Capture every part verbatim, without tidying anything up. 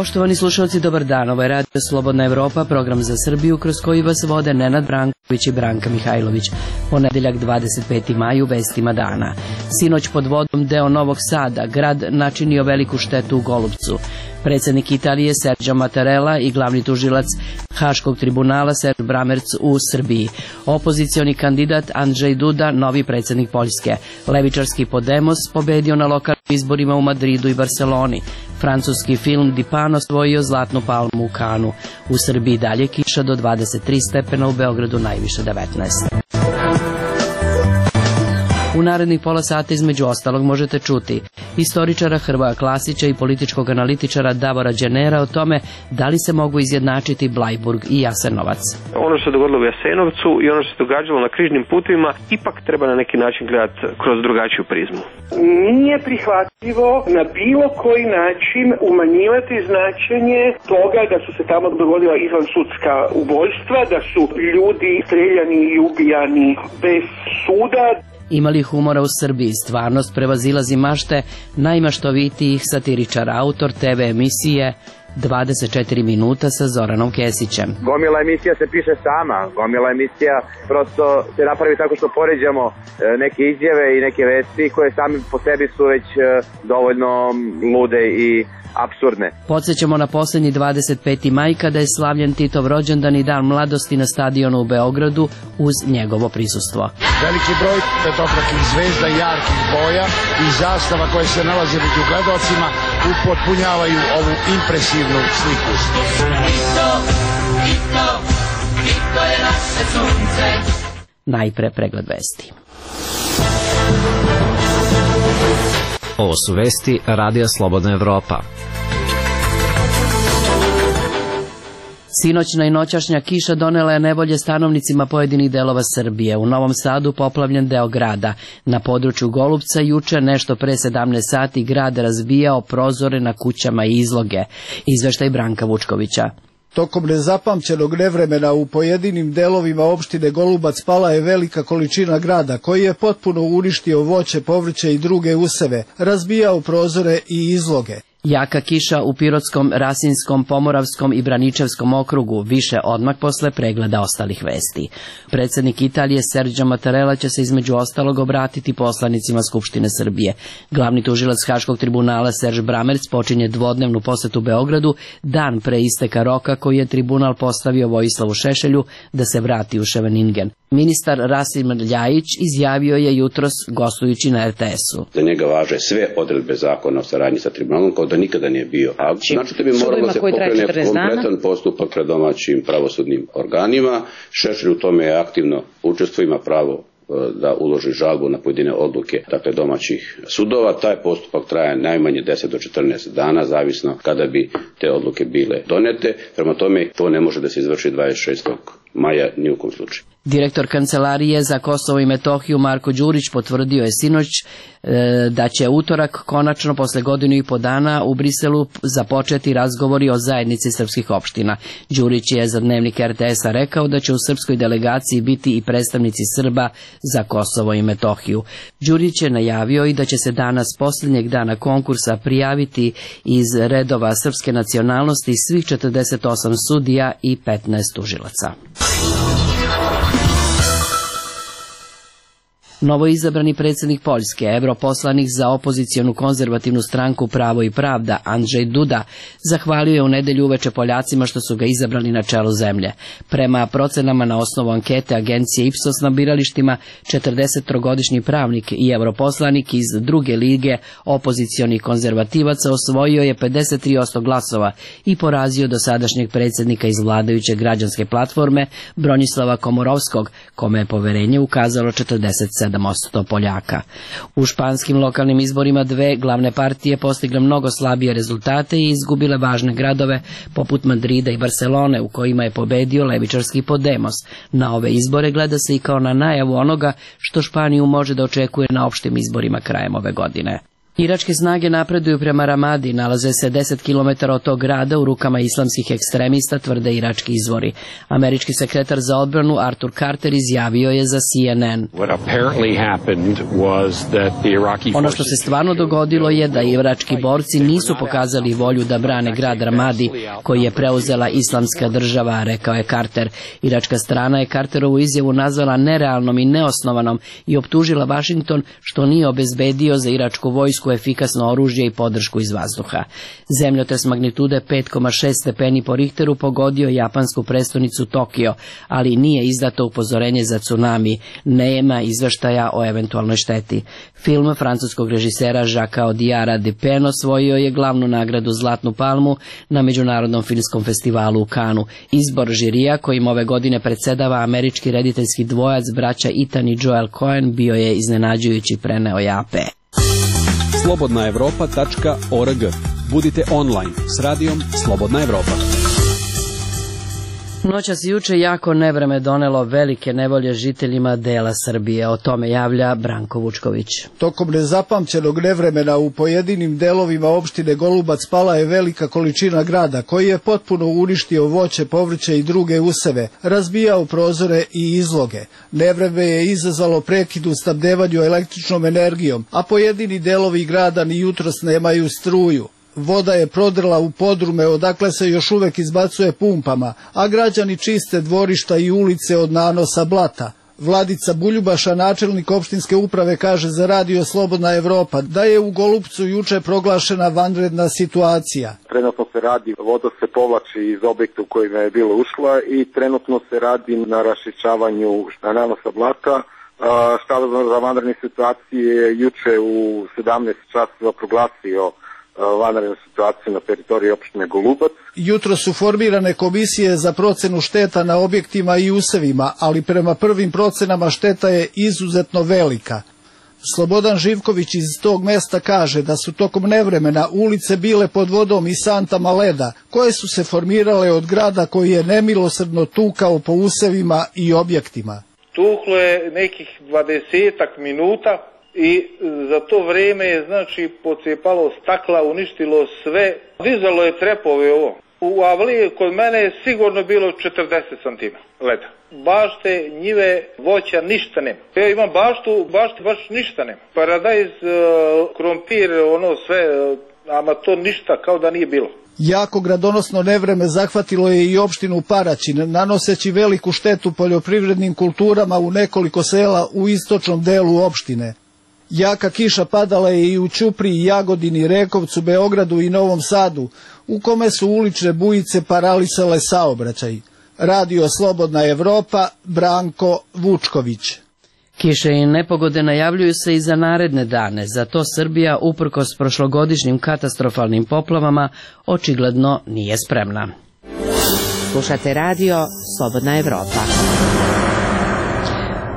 Poštovani slušalci, dobar dan. Ovo je Radio Slobodna Evropa, program za Srbiju kroz koji vas vode Nenad Branković i Branka Mihajlović. Ponedeljak dvadeset peti maj u vestima dana. Sinoć pod vodom deo Novog Sada, grad načinio veliku štetu u Golupcu. Predsjednik Italije Sergio Mattarella i glavni tužilac Haškog tribunala Serge Bramerc u Srbiji. Opozicioni kandidat Andrzej Duda, novi predsjednik Poljske. Levičarski Podemos pobedio na lokalnim izborima u Madridu i Barceloni. Francuski film Di Pano osvojio zlatnu palmu u Kanu. U Srbiji dalje kiša do dvadeset tri stepena, u Beogradu najviše devetnaest. U narednih pola sata između ostalog možete čuti historičara Hrvoja Klasića i političkog analitičara Davora Đenera o tome da li se mogu izjednačiti Blajburg i Jasenovac. Ono što se dogodilo u Jasenovcu i ono što se događalo na križnim putevima ipak treba na neki način gledati kroz drugačiju prizmu. Nije prihvatljivo na bilo koji način umanjivati značenje toga da su se tamo dogodila izvansudska ubojstva, da su ljudi streljani i ubijani bez suda. Ima li humora u Srbiji? Stvarnost prevazilazi mašte najmaštovitijih satiričara, autor te ve emisije dvadeset četiri minuta sa Zoranom Kesićem. Gomila emisija se piše sama, gomila emisija prosto se napravi tako što poređamo neke izjave i neke vesti koje sami po sebi su već dovoljno lude i apsurdne. Podsjećamo na posljednji dvadeset peti maj kada je slavljen Titov rođendan i dan mladosti na stadionu u Beogradu uz njegovo prisustvo. Veliki broj petokrakih zvezda, jarkih boja i zastava koje se nalaze među gledalcima upotpunjavaju ovu impresivnu sliku. Tito, Tito, Tito je naše sunce. Najpre pregled vesti. Ovo su vesti Radija Slobodna Evropa. Sinoćna i noćašnja kiša donela je nevolje stanovnicima pojedinih delova Srbije. U Novom Sadu poplavljen deo grada. Na području Golupca juče nešto pre sedamnaest sati grad razbijao prozore na kućama i izloge. Izveštaj Branka Vučkovića. Tokom nezapamćenog nevremena u pojedinim delovima opštine Golubac pala je velika količina grada koji je potpuno uništio voće, povrće i druge useve, razbijao prozore i izloge. Jaka kiša u Pirotskom, Rasinskom, Pomoravskom i Braničevskom okrugu, više odmah posle pregleda ostalih vesti. Predsjednik Italije Sergio Mattarella će se između ostalog obratiti poslanicima Skupštine Srbije. Glavni tužilac Haškog tribunala Serge Bramerc počinje dvodnevnu posetu Beogradu dan pre isteka roka koji je tribunal postavio Vojislavu Šešelju da se vrati u Ševeningen. Ministar Rasim Ljajić izjavio je jutros gostujući na er te esu. Za njega važe sve odredbe zakona o saradnji sa tribunalom kao da nikada nije bio. A znači da bi moralo se pokrene kompletan postupak pred domaćim pravosudnim organima. Šešelj u tome je aktivno učestvuje, ima pravo da uloži žalbu na pojedine odluke dakle domaćih sudova. Taj postupak traje najmanje deset do četrnaest dana, zavisno kada bi te odluke bile donete. Prema tome to ne može da se izvrši dvadeset šestog maja ni u kom slučaju. Direktor Kancelarije za Kosovo i Metohiju Marko Đurić potvrdio je sinoć e, da će utorak konačno posle godinu i po dana u Briselu započeti razgovori o zajednici srpskih opština. Đurić je za dnevnik er te esa rekao da će u srpskoj delegaciji biti i predstavnici Srba za Kosovo i Metohiju. Đurić je najavio i da će se danas posljednjeg dana konkursa prijaviti iz redova srpske nacionalnosti svih četrdeset osam sudija i petnaest tužilaca. Novoizabrani predsjednik Poljske, europoslanik za opozicionu konzervativnu stranku Pravo i pravda, Andrzej Duda, zahvalio je u nedelju uveče Poljacima što su ga izabrali na čelu zemlje. Prema procenama na osnovu ankete agencije Ipsos na biralištima, četrdesettrogodišnji pravnik i europoslanik iz druge lige opozicionih konzervativaca osvojio je pedeset tri posto glasova i porazio dosadašnjeg predsjednika iz vladajuće građanske platforme Bronislava Komorovskog, kome je poverenje ukazalo četrdeset sedam posto Poljaka. U španskim lokalnim izborima dve glavne partije postigle mnogo slabije rezultate i izgubile važne gradove poput Madrida i Barcelone u kojima je pobedio levičarski Podemos. Na ove izbore gleda se i kao na najavu onoga što Španiju može da očekuje na opštim izborima krajem ove godine. Iračke snage napreduju prema Ramadi, nalaze se deset kilometara od tog grada u rukama islamskih ekstremista, tvrde irački izvori. Američki sekretar za odbranu Arthur Carter izjavio je za C N N. Ono što se stvarno dogodilo je da irački borci nisu pokazali volju da brane grad Ramadi, koji je preuzela islamska država, rekao je Carter. Iračka strana je Carterovu izjavu nazvala nerealnom i neosnovanom i optužila Washington što nije obezbedio za iračku vojsku efikasno oružje i podršku iz vazduha. Zemljotres magnitude pet zarez šest stepeni po Richteru pogodio japansku prestonicu Tokio, ali nije izdato upozorenje za tsunami, nema izveštaja o eventualnoj šteti. Film francuskog režisera Jacquesa Audiara Dupin osvojio je glavnu nagradu Zlatnu palmu na Međunarodnom filmskom festivalu u Kanu. Izbor žirija, kojim ove godine predsedava američki rediteljski dvojac braća Ethan i Joel Coen, bio je iznenađujući, preneo je A P. slobodna evropa tačka org. Budite online s radijom Slobodna Evropa. Noćas juče jako nevreme donelo velike nevolje žiteljima dela Srbije. O tome javlja Branko Vučković. Tokom nezapamćenog nevremena u pojedinim delovima opštine Golubac pala je velika količina grada, koji je potpuno uništio voće, povrće i druge useve, razbijao prozore i izloge. Nevreme je izazvalo prekid u snabdevanju električnom energijom, a pojedini delovi grada ni jutros nemaju struju. Voda je prodrla u podrume odakle se još uvek izbacuje pumpama, a građani čiste dvorišta i ulice od nanosa blata. Vladica Buljubaša, načelnik opštinske uprave, kaže za radio Slobodna Evropa da je u Golupcu juče proglašena vanredna situacija. Trenutno se radi, voda se povlači iz objekta u kojima je bilo ušla i trenutno se radi na raščišćavanju nanosa blata. Štab za vanredne situacije juče u sedamnaest časova proglasio vanrednu situaciju na teritoriji opštine Golubac. Jutro su formirane komisije za procenu šteta na objektima i usevima, ali prema prvim procenama šteta je izuzetno velika. Slobodan Živković iz tog mesta kaže da su tokom nevremena ulice bile pod vodom i santama leda, koje su se formirale od grada koji je nemilosrdno tukao po usevima i objektima. Tuklo je nekih dvadesetak minuta i za to vreme je znači pocijepalo stakla, uništilo sve, dizalo je trepove ovo. U avliji kod mene je sigurno bilo četrdeset santima leda. Bašte, njive, voća, ništa nema. Ja imam baštu, bašti baš ništa nema. Paradajz, krompir, ono sve, ama to ništa, kao da nije bilo. Jako gradonosno nevreme zahvatilo je i opštinu Paraćin, nanoseći veliku štetu poljoprivrednim kulturama u nekoliko sela u istočnom delu opštine. Jaka kiša padala je i u Ćupriji, Jagodini, Rekovcu, Beogradu i Novom Sadu, u kome su ulične bujice paralisale saobraćaj. Radio Slobodna Evropa, Branko Vučković. Kiše i nepogode najavljuju se i za naredne dane, zato Srbija, uprkos prošlogodišnjim katastrofalnim poplavama, očigledno nije spremna. Slušate radio Slobodna Evropa.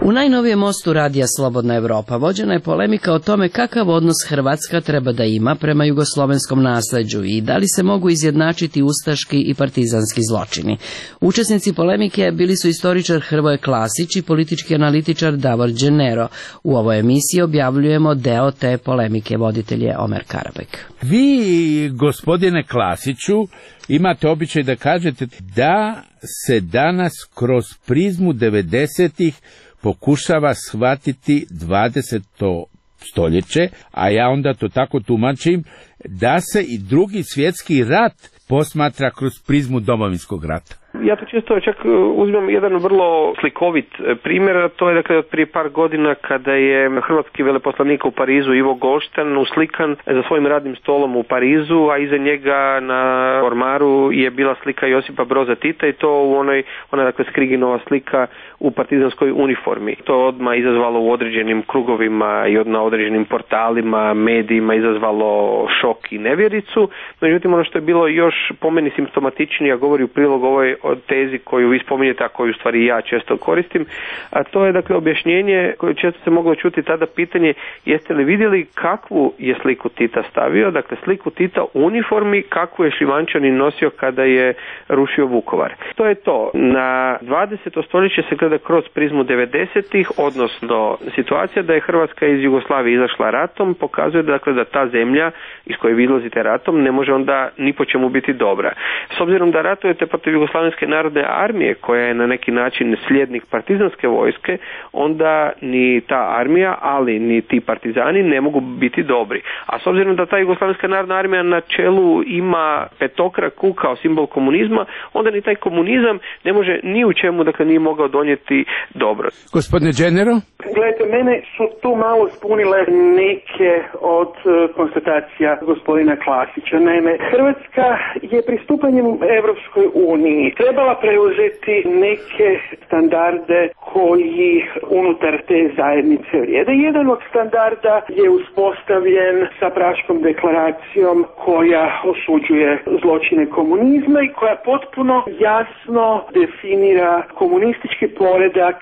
U najnovijem mostu radija Slobodna Evropa vođena je polemika o tome kakav odnos Hrvatska treba da ima prema jugoslovenskom nasleđu i da li se mogu izjednačiti ustaški i partizanski zločini. Učesnici polemike bili su istoričar Hrvoje Klasić i politički analitičar Davor Đenero. U ovoj emisiji objavljujemo deo te polemike, voditelj je Omer Karabek. Vi, gospodine Klasiću, imate običaj da kažete da se danas kroz prizmu devedesetih pokušava shvatiti dvadeseto stoljeće, a ja onda to tako tumačim, da se i drugi svjetski rat posmatra kroz prizmu Domovinskog rata. Ja to često čak uzmem jedan vrlo slikovit primjer, to je dakle od prije par godina kada je hrvatski veleposlanik u Parizu Ivo Golštan uslikan za svojim radnim stolom u Parizu, a iza njega na ormaru je bila slika Josipa Broza Tita i to u onoj, ona dakle Skriginova slika u partizanskoj uniformi. To odmah izazvalo u određenim krugovima i na određenim portalima, medijima izazvalo šok i nevjericu. Međutim, ono što je bilo još po meni simptomatičnije, a govori u prilog ovoj tezi koju vi spominjete, a koju u stvari ja često koristim, a to je dakle objašnjenje koje često se moglo čuti tada pitanje jeste li vidjeli kakvu je sliku Tita stavio, dakle sliku Tita u uniformi kakvu je Šljivančanin nosio kada je rušio Vukovar. To je to. Na dvadeseto stoljeće se gleda kroz prizmu devedesetih, odnosno situacija da je Hrvatska iz Jugoslavije izašla ratom, pokazuje dakle da ta zemlja iz koje vi izlazite ratom ne može onda ni po čemu biti dobra. S obzirom da ratujete protiv Jugoslavenske narodne armije koja je na neki način slijednik partizanske vojske, onda ni ta armija, ali ni ti partizani ne mogu biti dobri. A s obzirom da ta Jugoslavenska narodna armija na čelu ima petokraku kao simbol komunizma, onda ni taj komunizam ne može ni u čemu, dakle nije mogao donijeti dobro. Gospodine Dženero? Gledajte, mene su tu malo spunile neke od konstatacija gospodina Klasića. Naime, Hrvatska je pristupanjem Evropskoj uniji trebala preuzeti neke standarde koji unutar te zajednice vrijede. Jedan od standarda je uspostavljen sa Praškom deklaracijom koja osuđuje zločine komunizma i koja potpuno jasno definira komunistički poredak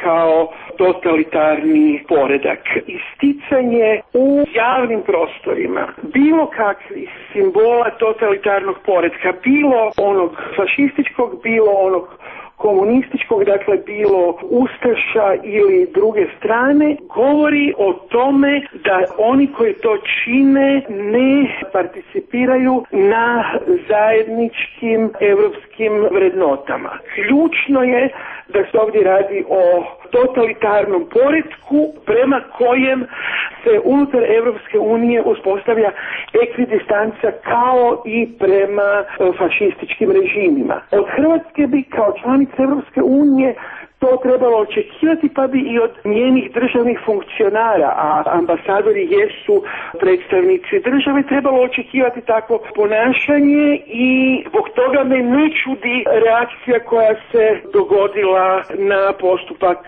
kao totalitarni poredak. Isticanje u javnim prostorima bilo kakvih simbola totalitarnog poretka, bilo onog fašističkog, bilo onog komunističkog, dakle bilo ustaša ili druge strane, govori o tome da oni koji to čine ne participiraju na zajedničkim evropskim vrednotama. Ključno je da se ovdje radi o totalitarnom poretku prema kojem se unutar Evropske unije uspostavlja ekvidistanca kao i prema fašističkim režimima. Od Hrvatske bi kao članica Evropske unije to trebalo očekivati, pa bi i od njenih državnih funkcionara, a ambasadori jesu predstavnici države, trebalo očekivati takvo ponašanje i zbog toga me ne čudi reakcija koja se dogodila na postupak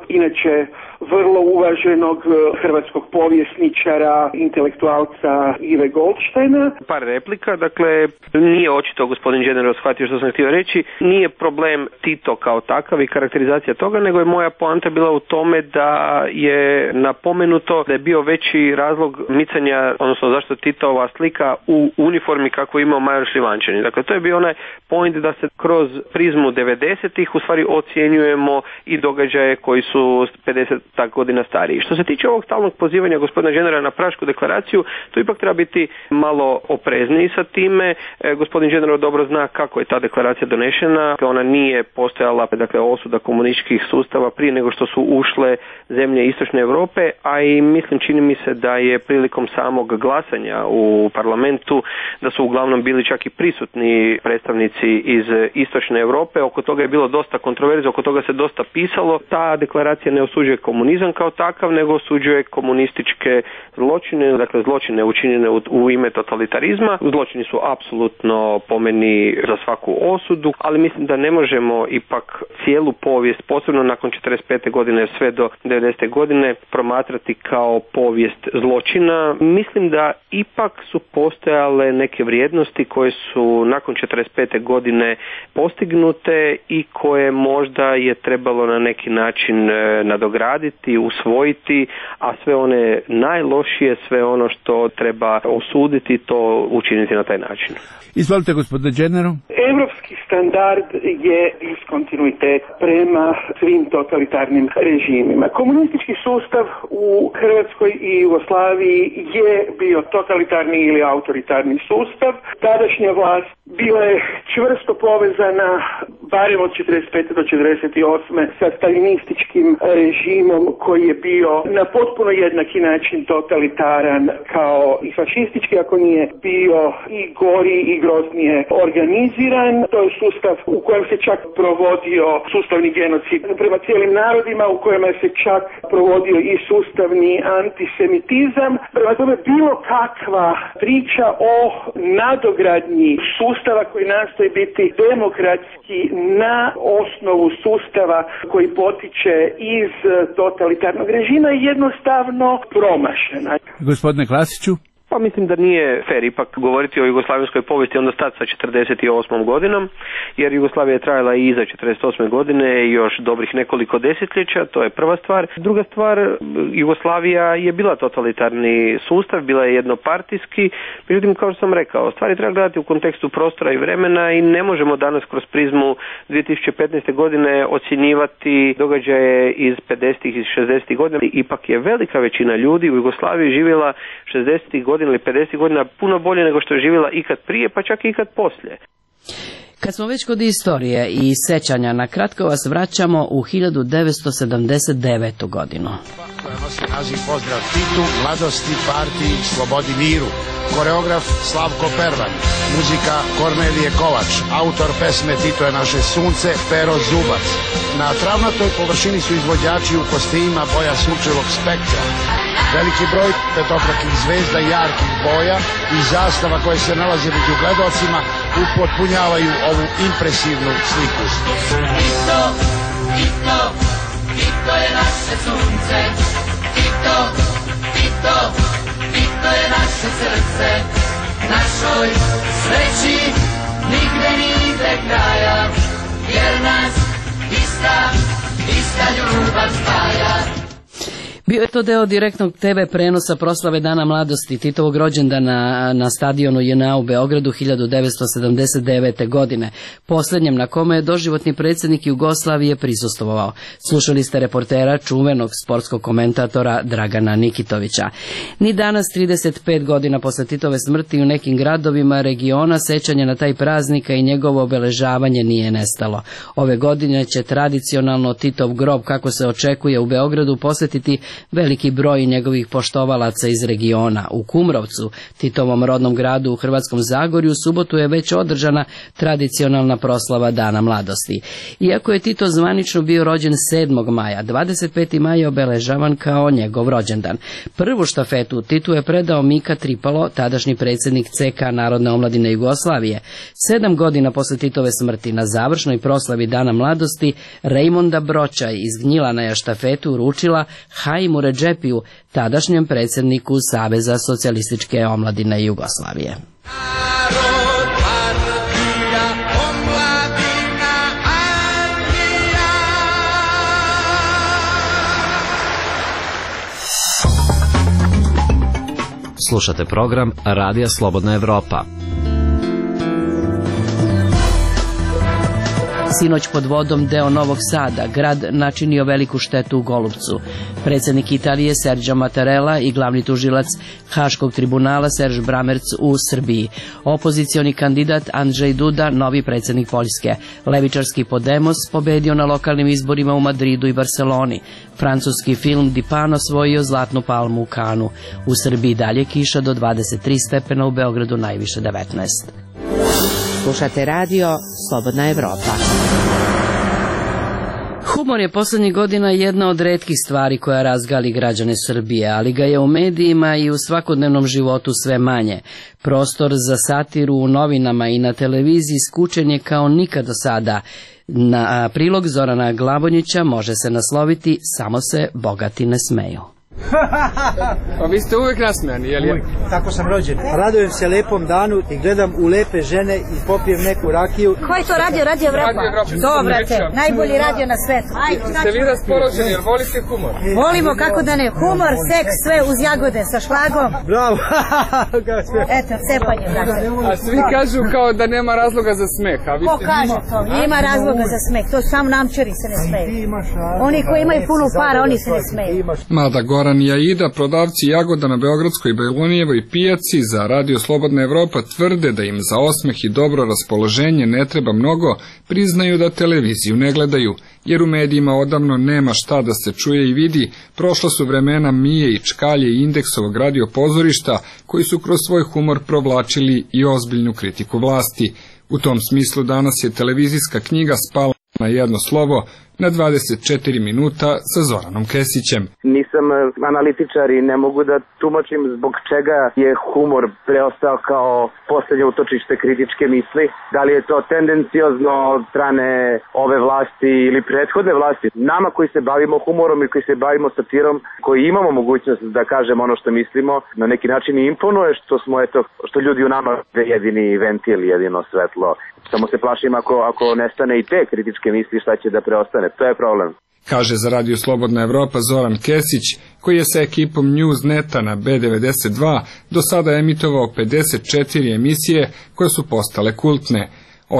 inače vrlo uvaženog hrvatskog povjesničara, intelektualca Ive Goldsteina. Par replika, dakle, nije očito gospodin Dženero shvatio što sam htio reći, nije problem Tito kao takav i karakterizacija toga, nego je moja poanta bila u tome da je napomenuto da je bio veći razlog micanja, odnosno zašto Titova slika u uniformi kako je imao major Šljivančanin. Dakle, to je bio onaj point da se kroz prizmu devedesetih u stvari ocjenjujemo i događaje koji su pedeset godina stariji. Što se tiče ovog stalnog pozivanja gospodina Dženera na Prašku deklaraciju, to ipak treba biti malo oprezniji sa time. E, gospodin Džener dobro zna kako je ta deklaracija donešena. Ona nije postojala, dakle, osuda komunističkih sustava prije nego što su ušle zemlje Istočne Europe, a i mislim, čini mi se da je prilikom samog glasanja u parlamentu da su uglavnom bili čak i prisutni predstavnici iz Istočne Europe. Oko toga je bilo dosta kontroverze, oko toga se dosta pisalo. Ta deklaracija ne osuđuje komunizam kao takav, nego osuđuje komunističke zločine, dakle zločine učinjene u, u ime totalitarizma. Zločini su apsolutno po meni za svaku osudu, ali mislim da ne možemo ipak cijelu povijest, posebno nakon četrdeset pete godine sve do devedesete godine, promatrati kao povijest zločina. Mislim da ipak su postojale neke vrijednosti koje su nakon četrdeset pete godine postignute i koje možda je trebalo na neki način nadograditi, usvojiti, a sve one najlošije, sve ono što treba osuditi, to učiniti na taj način. Izvolite, gospodine Dženero. Evropski standard je diskontinuitet prema svim totalitarnim režimima. Komunistički sustav u Hrvatskoj i Jugoslaviji je bio totalitarni ili autoritarni sustav. Tadašnja vlast bila je čvrsto povezana, barem od četrdeset pete do četrdeset osme sa stalinističkim režimom koji je bio na potpuno jednaki način totalitaran kao i fašistički, ako nije bio i gori i groznije organiziran. To je sustav u kojem se čak provodio sustavni genocid prema cijelim narodima, u kojem se čak provodio i sustavni antisemitizam. Prema tome, bilo kakva priča o nadogradnji sustava koji nastoji biti demokratski na osnovu sustava koji potiče iz totalitarnog režima je jednostavno promašena. Gospodine Klasiću. Pa mislim da nije fer ipak govoriti o jugoslavenskoj povijesti onda stati sa četrdeset osmom godinom, jer Jugoslavija je trajala i iza četrdeset osme godine još dobrih nekoliko desetljeća, to je prva stvar. Druga stvar, Jugoslavija je bila totalitarni sustav, bila je jednopartijski, međutim kao što sam rekao, stvari treba gledati u kontekstu prostora i vremena i ne možemo danas kroz prizmu dvije tisuće petnaeste godine ocjenjivati događaje iz pedesetih i šezdesetih godina. Ipak je velika većina ljudi u Jugoslaviji živjela šezdesetih godina ili pedesetih godina puno bolje nego što je živjela ikad prije, pa čak i ikad poslije. Kad smo već kod istorije i sećanja, na kratko vas vraćamo u hiljadu devetsto sedamdeset devetu godinu. Koja nosi naziv Pozdrav Titu, mladosti, partiji, slobodi, miru. Koreograf Slavko Pervan, muzika Kornelije Kovač, autor pesme Tito je naše sunce, Pero Zubac. Na travnatoj površini su izvođači u kostimima boja sunčevog spektra. Veliki broj petokrakih zvezda jarkih boja i zastava koje se nalaze među gledalcima upotpunjavaju ovu impresivnu sliku. Tito, Tito, Tito je naše sunce, Tito, Tito, Tito je naše srce, našoj sreći nigde ni ide kraja, jer nas ista, ista ljubav spaja. Bio je to deo direktnog te ve prenosa proslave Dana mladosti Titovog rođendana na stadionu J N A u Beogradu hiljadu devetsto sedamdeset devete. godine, posljednjem na kome je doživotni predsjednik Jugoslavije prisustvovao. Slušali ste reportera, čuvenog sportskog komentatora Dragana Nikitovića. Ni danas, trideset pet godina posle Titove smrti, u nekim gradovima regiona sećanje na taj praznika i njegovo obeležavanje nije nestalo. Ove godine će tradicionalno Titov grob, kako se očekuje, u Beogradu posjetiti veliki broj njegovih poštovalaca iz regiona. U Kumrovcu, Titovom rodnom gradu u Hrvatskom Zagorju, u subotu je već održana tradicionalna proslava Dana mladosti. Iako je Tito zvanično bio rođen sedmog maja, dvadeset peti maj je obeležavan kao njegov rođendan. Prvu štafetu Titu je predao Mika Tripalo, tadašnji predsjednik C K Narodne omladine Jugoslavije. Sedam godina posle Titove smrti, na završnoj proslavi Dana mladosti, Rejmonda Bročaj iz Gnjilana je štafetu uručila Haimu Redžepiju, tadašnjem predsjedniku Saveza socijalističke omladine Jugoslavije. Slušate program Radija Slobodna Evropa. Sinoć pod vodom deo Novog Sada, grad načinio veliku štetu u Golupcu. Predsjednik Italije Sergio Mattarella i glavni tužilac Haškog tribunala Serge Bramerc u Srbiji. Opozicioni kandidat Andrzej Duda, novi predsjednik Poljske. Levičarski Podemos pobedio na lokalnim izborima u Madridu i Barceloni. Francuski film Dipano osvojio zlatnu palmu u Kanu. U Srbiji dalje kiša do dvadeset tri stepena, u Beogradu najviše devetnaest. Slušate radio Slobodna Evropa. Humor je posljednjih godina jedna od retkih stvari koja razgali građane Srbije, ali ga je u medijima i u svakodnevnom životu sve manje. Prostor za satiru u novinama i na televiziji skučen je kao nikad do sada. Na prilog Zorana Glavonjića može se nasloviti "Samo se bogati ne smeju". Pa vi ste uvijek nasmejani, jel je? Uvijek, tako sam rođen. Radujem se lepom danu i gledam u lepe žene i popijem neku rakiju. Ko je to radio? Radio Evropa? Dobrate, najbolji radio na svetu. Ste vi raspoloženi, jer volite humor? Volimo, kako da ne. Humor, seks, sve uz jagode, sa šlagom. Bravo. Eto, cepanje, brate. A svi kažu kao da nema razloga za smeh. Ko kaže to? Ima razloga za smeh. To samo namčari se ne smeju. Oni koji imaju puno para, oni se ne smeju. Mada Goran i Aida, prodavci jagoda na Beogradskoj Bajlonijevoj pijaci, za Radio Slobodna Evropa tvrde da im za osmeh i dobro raspoloženje ne treba mnogo, priznaju da televiziju ne gledaju, jer u medijima odavno nema šta da se čuje i vidi. Prošla su vremena Mije i Čkalje i Indeksovog radio pozorišta, koji su kroz svoj humor provlačili i ozbiljnu kritiku vlasti. U tom smislu danas je televizijska knjiga spala na jedno slovo, na dvadeset četiri minuta sa Zoranom Kesićem. Nisam analitičar i ne mogu da tumačim zbog čega je humor preostao kao poslednje utočište kritičke misli. Da li je to tendenciozno od strane ove vlasti ili prethodne vlasti. Nama koji se bavimo humorom i koji se bavimo satirom, koji imamo mogućnost da kažemo ono što mislimo, na neki način i imponuje što smo, eto, što ljudi u nama jedini ventil, jedino svetlo. Samo se plašim ako, ako nestane i te kritičke misli, šta će da preostane. To je problem. Kaže za Radio Slobodna Evropa Zoran Kesić, koji je sa ekipom Newsneta na B devedeset dva do sada emitovao pedeset četiri emisije koje su postale kultne.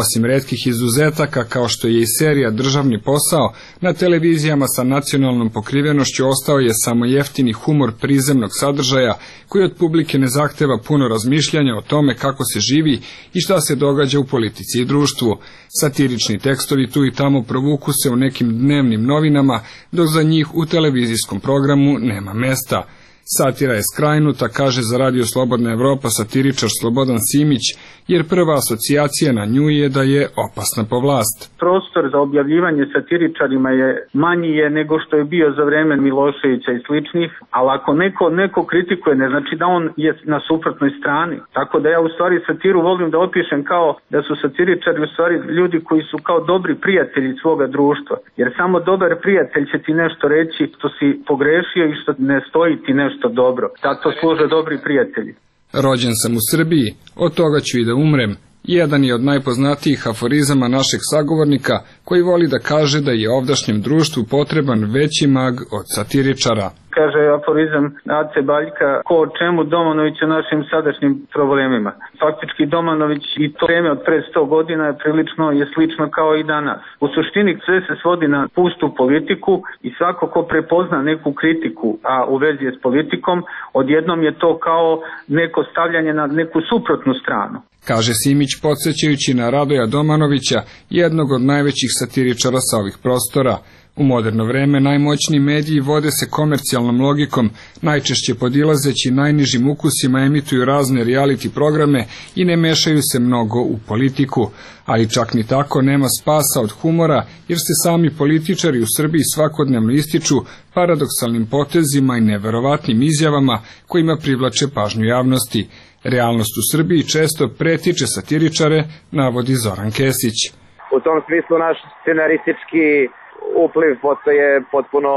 Osim retkih izuzetaka kao što je i serija Državni posao, na televizijama sa nacionalnom pokrivenošću ostao je samo jeftini humor prizemnog sadržaja koji od publike ne zahteva puno razmišljanja o tome kako se živi i šta se događa u politici i društvu. Satirični tekstovi tu i tamo provuku se u nekim dnevnim novinama, dok za njih u televizijskom programu nema mesta. Satira je skrajnuta, kaže za Radio Slobodna Evropa satiričar Slobodan Simić, jer prva asocijacija na nju je da je opasna po vlast. Prostor za objavljivanje satiričarima je manji je nego što je bio za vreme Miloševića i sličnih, ali ako neko, neko kritikuje, ne znači da on je na suprotnoj strani. Tako da ja u stvari satiru volim da opišem kao da su satiričari u stvari ljudi koji su kao dobri prijatelji svoga društva, jer samo dobar prijatelj će ti nešto reći što si pogrešio i što ne stoji ti nešto dobro. Tako služe dobri prijatelji. Rođen sam u Srbiji, od toga ću i da umrem. Jedan je od najpoznatijih aforizama našeg sagovornika, koji voli da kaže da je ovdašnjem društvu potreban veći mag od satiričara. Kaže aforizam Ace Baljka, ko o čemu, Domanović o našim sadašnjim problemima. Faktički Domanović i to vreme od pre sto godina je prilično je slično kao i danas. U suštini sve se svodi na pustu politiku i svako ko prepozna neku kritiku, a u vezi je s politikom, odjednom je to kao neko stavljanje na neku suprotnu stranu. Kaže Simić podsjećajući na Radoja Domanovića, jednog od najvećih satiričara sa ovih prostora. U moderno vreme najmoćniji mediji vode se komercijalnom logikom, najčešće podilazeći najnižim ukusima emituju razne reality programe i ne mešaju se mnogo u politiku. Ali čak ni tako nema spasa od humora, jer se sami političari u Srbiji svakodnevno ističu paradoksalnim potezima i neverovatnim izjavama kojima privlače pažnju javnosti. Realnost u Srbiji često pretiče satiričare, navodi Zoran Kesić. U tom smislu naš scenaristički upliv postaje potpuno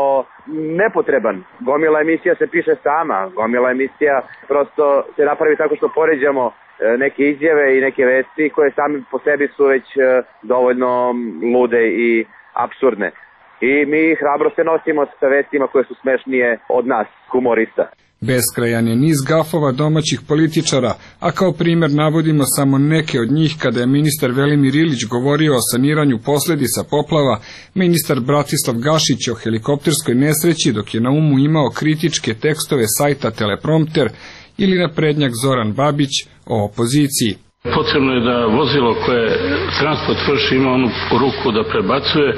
nepotreban. Gomila emisija se piše sama, gomila emisija prosto se napravi tako što poređamo neke izjave i neke vesti koje sami po sebi su već dovoljno lude i apsurdne. I mi hrabro se nosimo sa vestima koje su smešnije od nas, humorista. Beskrajan je niz gafova domaćih političara, a kao primjer navodimo samo neke od njih kada je ministar Velimir Ilić govorio o saniranju posledica poplava, ministar Bratislav Gašić o helikopterskoj nesreći dok je na umu imao kritičke tekstove sajta Teleprompter ili naprednjak Zoran Babić o opoziciji. Potrebno je da vozilo koje transport vrši ima onu ruku da prebacuje.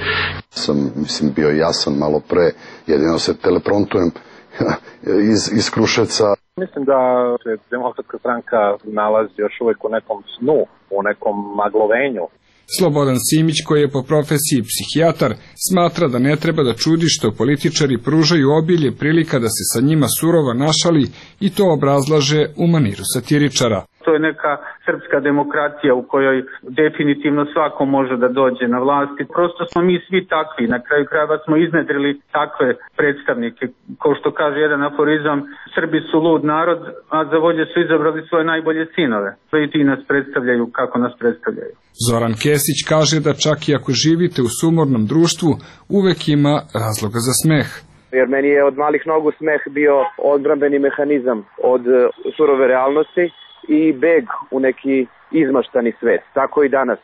Sam, mislim, bio jasan malo pre, jedino se telepromptujem iz, iz Kruševca. Mislim da se Demokratska stranka nalazi još uvijek u nekom snu, u nekom maglovenju. Slobodan Simić, koji je po profesiji psihijatar, smatra da ne treba da čudi što političari pružaju obilje prilika da se sa njima surovo našali i to obrazlaže u maniru satiričara. To je neka srpska demokratija u kojoj definitivno svako može da dođe na vlast i prosto smo mi svi takvi. Na kraju krajeva smo iznedrili takve predstavnike. Kao što kaže jedan aforizam, Srbi su lud narod, a za vođe su izabrali svoje najbolje sinove. I ti nas predstavljaju kako nas predstavljaju. Zoran Kesić kaže da čak i ako živite u sumornom društvu, uvek ima razloga za smeh. Jer meni je od malih nogu smeh bio odbrambeni mehanizam od surove realnosti i beg u neki izmaštani svet, tako i danas.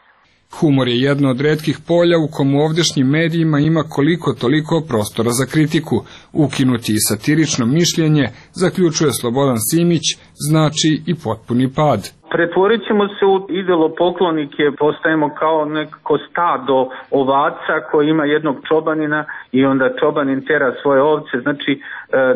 Humor je jedno od retkih polja u komu ovdešnjim medijima ima koliko toliko prostora za kritiku. Ukinuti i satirično mišljenje, zaključuje Slobodan Simić, znači i potpuni pad. Pretvorit ćemo se u idolopoklonike, postajemo kao neko stado ovaca koji ima jednog čobanina i onda čobanin tera svoje ovce. Znači, e,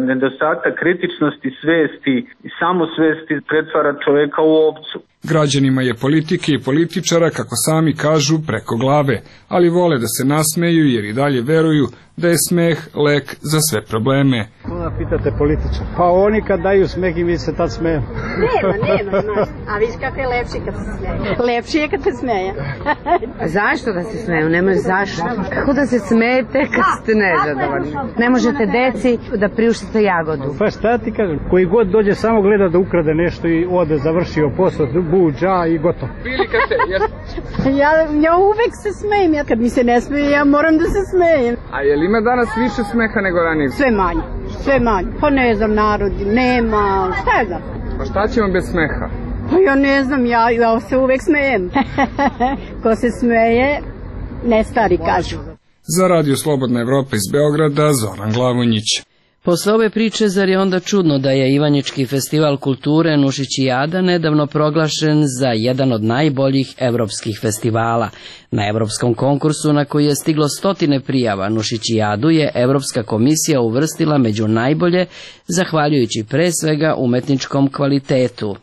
nedostatak kritičnosti, svesti i samosvesti pretvara čoveka u ovcu. Građanima je politike i političara, kako sami kažu, preko glave, ali vole da se nasmeju jer i dalje veruju da je smeh lek za sve probleme. Koga pitate političar? Pa oni kad daju smeh i mi se tad smeju. Nema, nema, znaš. A viš kako je lepši kad se smeje. Lepši je kad se smeje. Zašto da se smeju? Nema zašto. Kako da se smejete kad ste nezadovoljni? Ne možete deci da priuštite jagodu. Pa šta ti kažem? Koji god dođe samo gleda da ukrade nešto i ode, završio posao, buđa i gotovo. Bili kad se... ja, ja uvek se smejem. Ja kad mi se ne smeje, ja moram da se smejem. A je li ima danas više smeha nego ranije? Sve manje, sve manje. Pa ne znam, narodi, nema, šta je da? Pa šta ćemo bez smeha? Pa ja ne znam, ja, ja se uvek smejem. Ko se smeje, ne stari kažu. Za Radio Slobodna Evropa iz Beograda, Zoran Glavonjić. Posle ove priče, zar je onda čudno da je Ivanjički festival kulture Nušićijada nedavno proglašen za jedan od najboljih evropskih festivala. Na evropskom konkursu na koji je stiglo stotine prijava Nušićijadu je Evropska komisija uvrstila među najbolje, zahvaljujući pre svega umetničkom kvalitetu.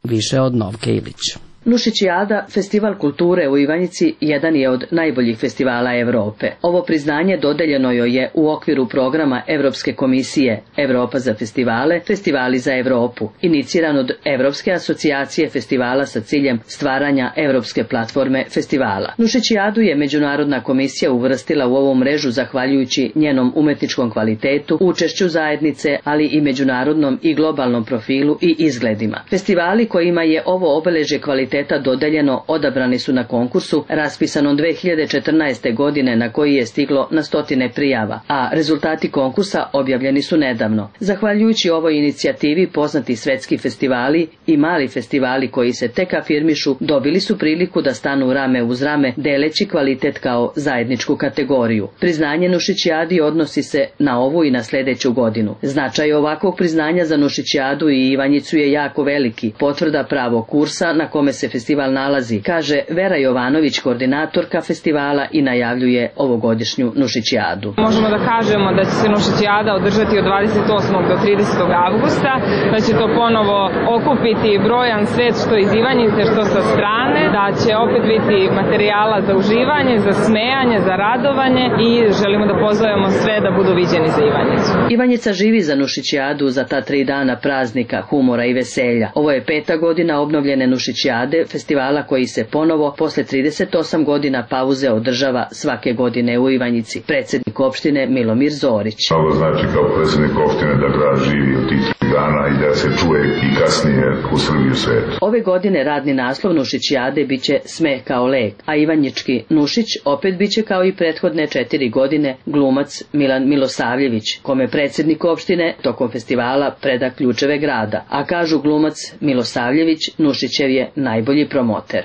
Više od Novke Ilić. Nušićijada, festival kulture u Ivanjici, jedan je od najboljih festivala Evrope. Ovo priznanje dodeljeno joj je u okviru programa Evropske komisije Evropa za festivale, Festivali za Evropu, iniciran od Evropske asocijacije festivala sa ciljem stvaranja evropske platforme festivala. Nušićijadu je Međunarodna komisija uvrstila u ovu mrežu zahvaljujući njenom umetničkom kvalitetu, učešću zajednice, ali i međunarodnom i globalnom profilu i izgledima. Festivali kojima je ovo obeležje kvaliteta dodeljeno odabrani su na konkursu raspisanom dve hiljade četrnaeste. godine na koji je stiglo na stotine prijava, a rezultati konkursa objavljeni su nedavno. Zahvaljujući ovoj inicijativi poznati svetski festivali i mali festivali koji se tek afirmišu dobili su priliku da stanu rame uz rame deleći kvalitet kao zajedničku kategoriju. Priznanje Nušićijadi odnosi se na ovu i na sljedeću godinu. Značaj ovakvog priznanja za Nušićijadu i Ivanjicu je jako veliki, potvrda pravog kursa na kome se festival nalazi, kaže Vera Jovanović, koordinatorka festivala, i najavljuje ovogodišnju Nušićijadu. Možemo da kažemo da će se Nušićijada održati od dvadeset osmog do tridesetog avgusta, da će to ponovo okupiti brojan svet što iz Ivanjice, što sa strane, da će opet biti materijala za uživanje, za smejanje, za radovanje i želimo da pozovemo sve da budu viđeni za Ivanjicu. Ivanjica živi za Nušićijadu, za ta tri dana praznika, humora i veselja. Ovo je peta godina obnovljene Nušićijade, festivala koji se ponovo posle trideset osam godina pauze održava svake godine u Ivanjici. Predsjednik opštine Milomir Zorić. Ovo znači kao predsjednik opštine da grad živi od tih tri dana i da se čuje i kasnije u Srbiji u svetu. Ove godine radni naslov Nušićijade biće Smeh kao lek, a ivanjički Nušić opet biće kao i prethodne četiri godine glumac Milan Milosavljević, kome predsjednik opštine tokom festivala preda ključeve grada, a kažu glumac Milosavljević Nušićev je najbolji promoter.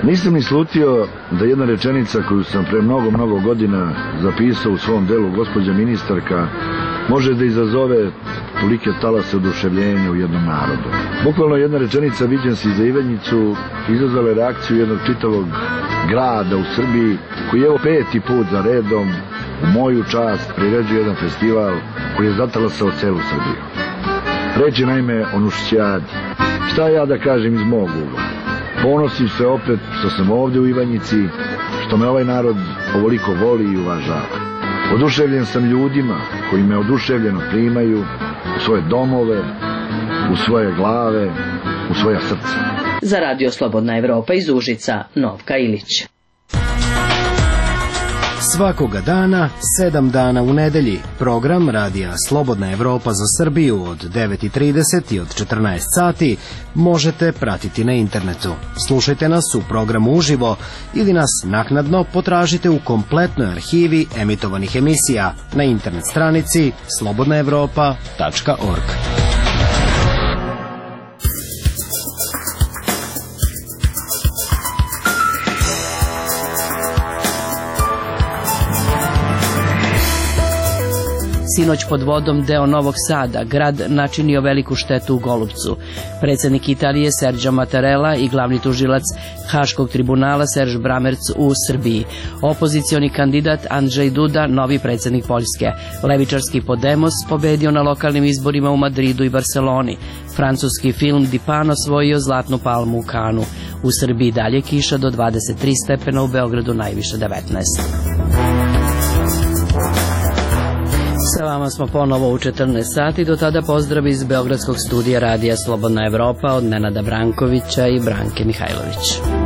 Nisam ni slutio da jedna rečenica koju sam pre mnogo, mnogo godina zapisao u svom delu Gospođa ministarka može da izazove tolike talase oduševljenja u jednom narodu. Bukvalno jedna rečenica viđen si za Ivanjicu izazvala je reakciju jednog čitavog grada u Srbiji koji je evo peti put za redom u moju čast priređuje jedan festival koji je zatalasao celu Srbiju. Reč je naime o Nušićijadi. Šta ja da kažem iz mog ugla? Ponosim se opet što sam ovdje u Ivanjici, što me ovaj narod ovoliko voli i uvažava. Oduševljen sam ljudima koji me oduševljeno primaju u svoje domove, u svoje glave, u svoja srca. Za Radio Slobodna Evropa iz Užica, Novka Ilić. Svakoga dana, sedam dana u nedelji, program Radija Slobodna Evropa za Srbiju od devet i trideset i od četrnaest sati možete pratiti na internetu. Slušajte nas u programu uživo ili nas naknadno potražite u kompletnoj arhivi emitovanih emisija na internet stranici slobodna evropa tačka org. Sinoć pod vodom deo Novog Sada, grad načinio veliku štetu u Golupcu. Predsjednik Italije Sergio Mattarella i glavni tužilac Haškog tribunala Serž Bramerc u Srbiji. Opozicioni kandidat Andrzej Duda, novi predsjednik Poljske. Levičarski Podemos pobedio na lokalnim izborima u Madridu i Barceloni. Francuski film Dipano osvojio zlatnu palmu u Kanu. U Srbiji dalje kiša do dvadeset tri stepena, u Beogradu najviše devetnaest. Sa vama smo ponovo u četrnaest sati, do tada pozdrav iz Beogradskog studija radija Slobodna Evropa od Nenada Brankovića i Branke Mihajlović.